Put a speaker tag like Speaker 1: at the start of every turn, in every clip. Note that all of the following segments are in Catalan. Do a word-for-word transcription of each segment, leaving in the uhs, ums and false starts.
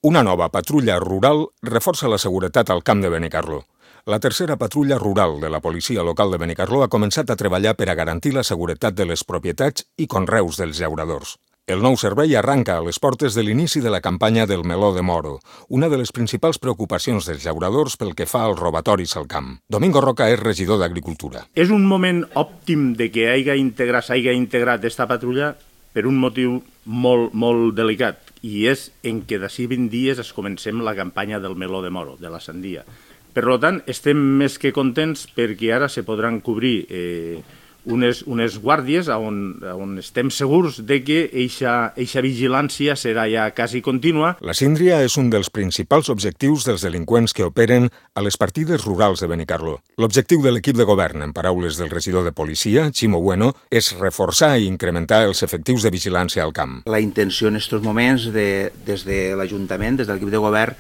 Speaker 1: Una nova patrulla rural reforça la seguretat al camp de Benicarló. La tercera patrulla rural de la policia local de Benicarló ha començat a treballar per a garantir la seguretat de les propietats i conreus dels llauradors. El nou servei arranca a les portes de l'inici de la campanya del meló de moro, una de les principals preocupacions dels llauradors pel que fa als robatoris al camp. Domingo Roca és regidor d'Agricultura.
Speaker 2: És un moment òptim de que hagi integrat, s'hagi integrat aquesta patrulla per un motiu molt, molt delicat, i és en què d'ací vint dies es comencem la campanya del meló de moro, de la sandia. Per tant, estem més que contents perquè ara se podran cobrir eh, unes, unes guàrdies on, on estem segurs de que eixa vigilància serà ja quasi contínua.
Speaker 1: La síndria és un dels principals objectius dels delinqüents que operen a les partides rurals de Benicarló. L'objectiu de l'equip de govern, en paraules del regidor de policia, Ximo Bueno, és reforçar i incrementar els efectius de vigilància al camp.
Speaker 3: La intenció en aquests moments de, des de l'Ajuntament, des de l'equip de govern,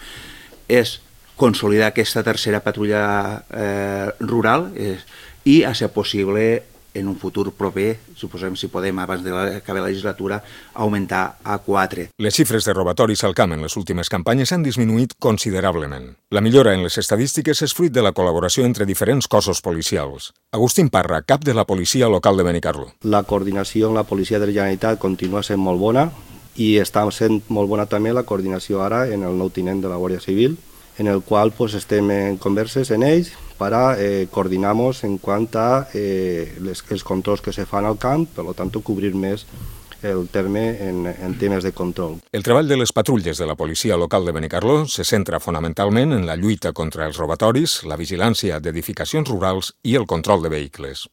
Speaker 3: és consolidar aquesta tercera patrulla eh, rural eh, i, a ser possible, en un futur proper, suposem si podem, abans de acabar la legislatura, augmentar a quatre.
Speaker 1: Les xifres de robatoris al camp en les últimes campanyes han disminuït considerablement. La millora en les estadístiques és fruit de la col·laboració entre diferents cossos policials. Agustín Parra, cap de la policia local de Benicarló.
Speaker 4: La coordinació amb la policia de la Generalitat continua sent molt bona i està sent molt bona també la coordinació ara en el nou tinent de la Guàrdia Civil, en el qual pues, estem en converses en ells para eh, coordinamos en quant a eh, les, els controls que se fan al camp, per tant, cobrir més el terme en, en temes de control.
Speaker 1: El treball de les patrulles de la policia local de Benicarló se centra fonamentalment en la lluita contra els robatoris, la vigilància d'edificacions rurals i el control de vehicles.